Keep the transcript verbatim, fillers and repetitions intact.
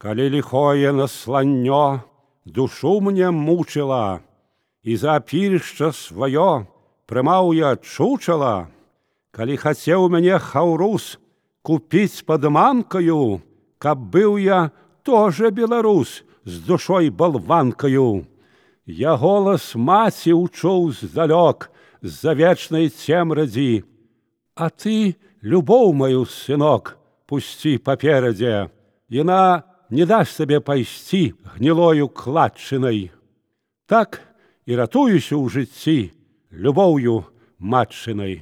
Калі лихое насланнё душу мне мучила, і за апірышча сваё прымаў я чучала, калі хацеў мяне хаўрус купіць падманкаю, каб быў я тоже беларус з душой балванкаю. Я голас маці учуў здалёк з-за вечнай цемрадзі, а ты любоў маю, сынок, пусці паперадзе, яна не дасць сабе пайсці гнілою кладчынай. Так і ратуюся ў жыцці любоўю матчынай.